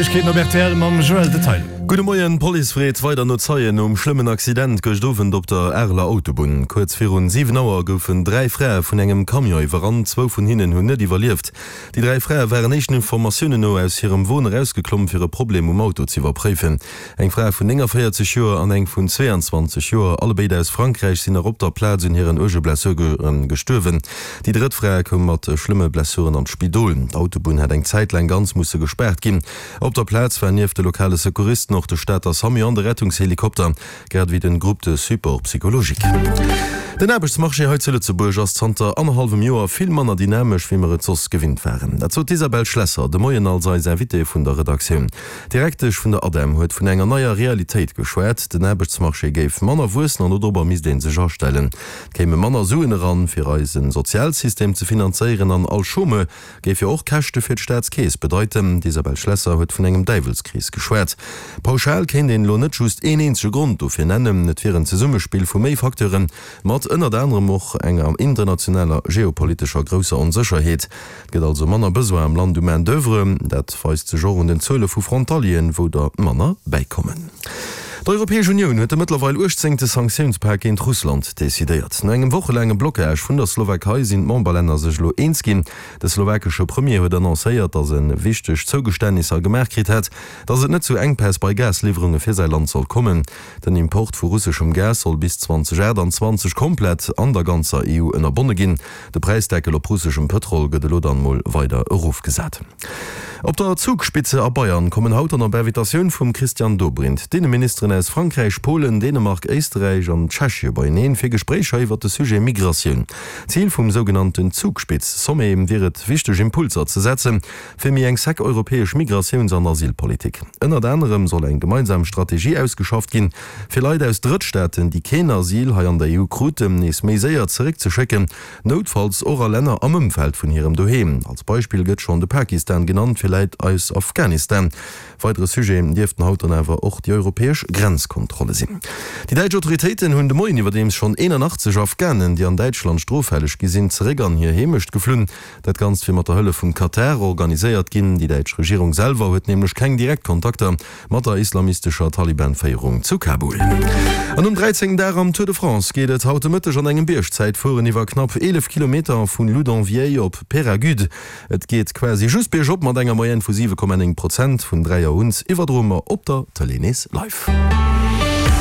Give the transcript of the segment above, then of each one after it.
Neiegkeeten op rtl mam Joël Detail. Gudde Moien, D'Police freet weider no Zeien nom schlëmmen Accident gëscht Owend op der Areler Autobunn. Kuerz virun 7 Auer goufen 3 Frae vun engem Camion iwwerrannt. Zwou vun hinnen hunn net iwwerlieft. Déi 3 Frae waren éischten Informatiounen no aus hirem Won erausgeklomm, fir e Problem um Auto z'iwwerpréifen. Eng Fra vun 49 Joer an eng vun 22 Joer, allebéid aus Frankräich, sinn nach op der Plaz un hiren uerge Blessure gestuerwen. Déi drëtt Fra koum mat schlëmme Blessuren an d'Spidol. D'Autobunn hat eng Zäit laang ganz musse gespaart ginn. Op der Plaz war nieft de lokale Secouristen och de Stater Samu an de Rettungshelikopter, grad ewéi den Groupe de support psychologique. Den Aarbechtsmarché hei zu Lëtzebuerg ass zanter annerhallwem Joer vill manner dynamesch, wéi mer et soss gewinnt waren. Dat sot d'Isabelle Schlesser de Moien als eis Invitée vun der Redaktioun. D'Direktesch vun der ADEM huet vun enger neier Realitéit geschwat. Den Aarbechtsmarché géif manner wuessen an dodrobber misst ee sech astellen. Et kéime manner Suen eran, fir eise Sozialsystem ze finanzéieren an all Chômeur géif jo och Käschte fir d'Staatskeess bedeiten. D'Isabelle Schlesser huet vun engem Däiwelskrees geschwat. Pauschal kéint een elo net just een eenzege Grond dofir nennen. Et wier en Zesummespill vu méi Facteuren, mat ënnert anerem och enger internationaler geopolitescher grousser Onsécherheet. Et gëtt also manner Besoin am Land u Main d'oeuvre. Dat weist sech och un den Zuele vu Frontalieren, wou der manner bäikommen. D'Europäesch Unioun huet de mëttlerweil uechtzéngte Sanktiounspak géint Russland decidéiert. No engem wochelaange Blockage vun der Slowakei sinn d'Memberlänner sech elo eens ginn. De slowakesche Premier huet annoncéiert, datt e wichteg Zougeständnisser gemaach kritt hätt, datt et net zu Enkpäss bei Gasliwwerunge fir säi Land soll kommen. Den Import vu russeschem Gas soll bis 2028 komplett an der ganzer EU ënnerbonne ginn. De Präisdeckel op russeschem Pëtrol gëtt elo dann mol weider erofgesat. Op der Zugspitze a Bayern kommen haut dann op Invitatioun vum Christian Dobrindt d'Inneministeren aus Frankräich, Polen, Dänemark, Éisterräich an Tschechie beieneen fir Gespréicher iwwert de Sujet Migratioun. Zil vum sougenannten Zugspitz-Sommet wier et, wichteg Impulser ze setzen, fir méi eng sec europäesch Migratiouns an Asylpolitik. Ënnert anerem soll eng gemeinsam Strategie ausgeschafft ginn, Fir Leit aus Drëttstaaten, déi keen Asyl hei an der EU kruten, nees méi séier zeréckzeschécken, noutfalls och a Länner am Ëmfeld vun hirem Doheem. Als Beispill gëtt schonn de Pakistan genannt, fir Läit aus Afghanistan. Weidere Sujet dierften haut dann awer och déi europäesch Grenzkontrolle sinn. Déi däitsch Autoritéiten hunn de Moien iwwerdeems schonn 81 Afghanen, déi an Däitschland stroffälleg gi sinn, zeréck an hir Heemecht geflunn. Dat Ganzt wier mat der Hëllef vum Katar organiséiert ginn. Déi däitsch Regierung selwer huet nämlech keng direkt Kontakter Mat der islamistescher Taliban-Féierung zu Kabul. An nom 13. Dag am Tour de France geet et haut de Mëtteg an engem Biergzäitfueren iwwer knapp 11 Kilometer vu Loudenvielle op Peyragudes. Et geet quasi just biergop mat enger Moyenne vu 7,9 Prozent. Vun 3 Auer un iwwerdroe mer op der Tëlee nees live.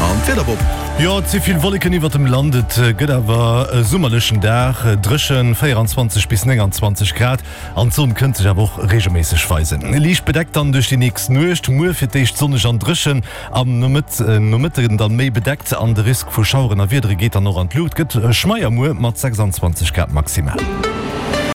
An d'Wieder, Bob? Jo, et si vill Wolleken iwwert dem Land, et gëtt awer e summerlechen Dag, dréchen, 24 bis 29 Grad. An d'Sonn kënnt sech awer och reegelméisseg weisen. Liicht bedeckt dann duerch déi nächst Nuecht. Muer fir d'éischt sonneg an dréchen, am Nomëtten dann méi bedeckt an de Risk vu Schaueren a Wiedere geet dann och an d'Luucht. Gëtt schmeier muer mat 26 Grad maximal.